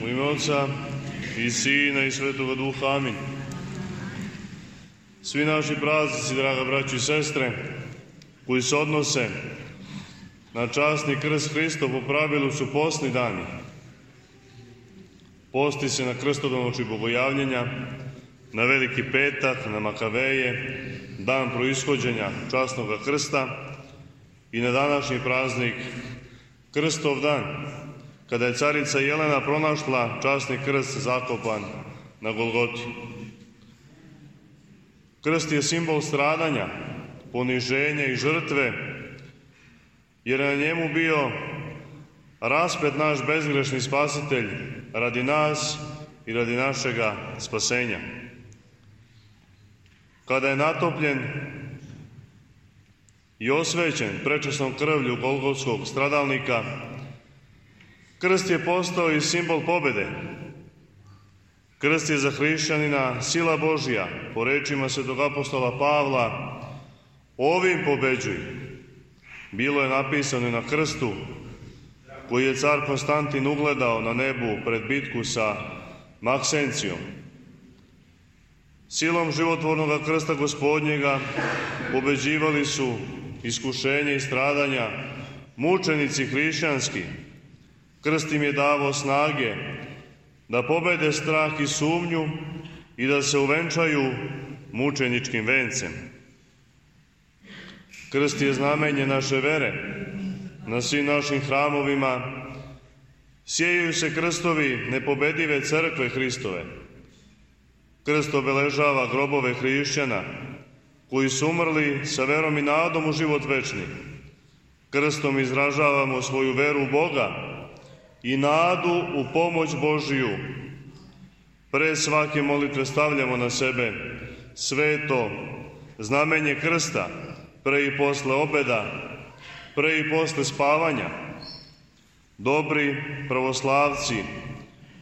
U ime Otca i Sina i Svetoga Duha, amin. Svi naši praznici, draga braćo i sestre, koji se odnose na časni krst Hristov, po pravilu su postni dani. Posti se na krstodanoći bogojavljenja, na Veliki petak, na Makaveje, dan proishođenja časnog krsta i na današnji praznik Krstov dan, kada je carica Jelena pronašla časni krst zakopan na Golgoti. Krst je simbol stradanja, poniženja i žrtve, jer je na njemu bio raspet naš bezgrešni spasitelj radi nas i radi našega spasenja. Kada je natopljen i osvećen prečasnom krvlju golgotskog stradalnika, krst je postao i simbol pobede. Krst je za hrišćanina sila Božja, po rečima svetog apostola Pavla, ovim pobeđuj. Bilo je napisano i na krstu koji je car Konstantin ugledao na nebu pred bitku sa Maksencijom. Silom životvornog krsta Gospodnjega pobeđivali su iskušenje i stradanja mučenici hrišćanski. Krst im je davao snage da pobede strah i sumnju i da se uvenčaju mučeničkim vencem. Krst je znamenje naše vere. Na svim našim hramovima sjeju se krstovi nepobedive crkve Hristove. Krst obeležava grobove hrišćana koji su umrli sa verom i nadom u život večni. Krstom izražavamo svoju veru u Boga i nadu u pomoć Božiju. Pre svake molitve stavljamo na sebe sveto znamenje krsta, pre i posle obeda, pre i posle spavanja. Dobri pravoslavci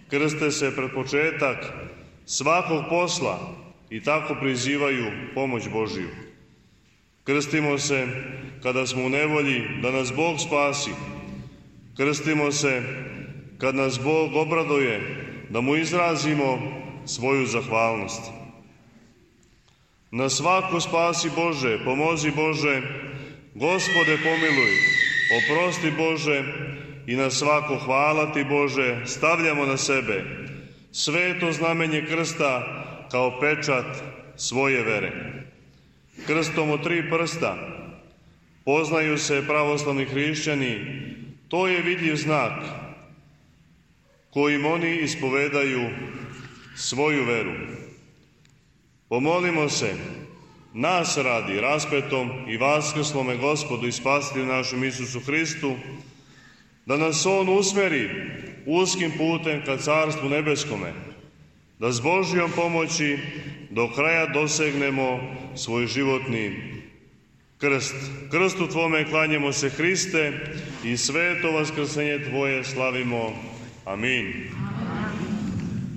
krste se pred početak svakog posla i tako prizivaju pomoć Božiju. Krstimo se kada smo u nevolji da nas Bog spasi. Krstimo se kad nas Bog obraduje da mu izrazimo svoju zahvalnost. Na svako spasi Bože, pomozi Bože, Gospode pomiluj, oprosti Bože i na svako hvala ti Bože stavljamo na sebe sveto znamenje krsta kao pečat svoje vere. Krstom od 3 prsta poznaju se pravoslavni hrišćani, to je vidljiv znak kojim oni ispovedaju svoju veru. Pomolimo se nas radi raspetom i vaskrslome Gospodu i Spasitelju našem Isusu Hristu, da nas On usmeri uskim putem ka Carstvu nebeskome, da s Božjom pomoći do kraja dosegnemo svoj životni krst. Krstu Tvome klanjamo se, Hriste, i sveto vaskrsenje Tvoje slavimo. Amin.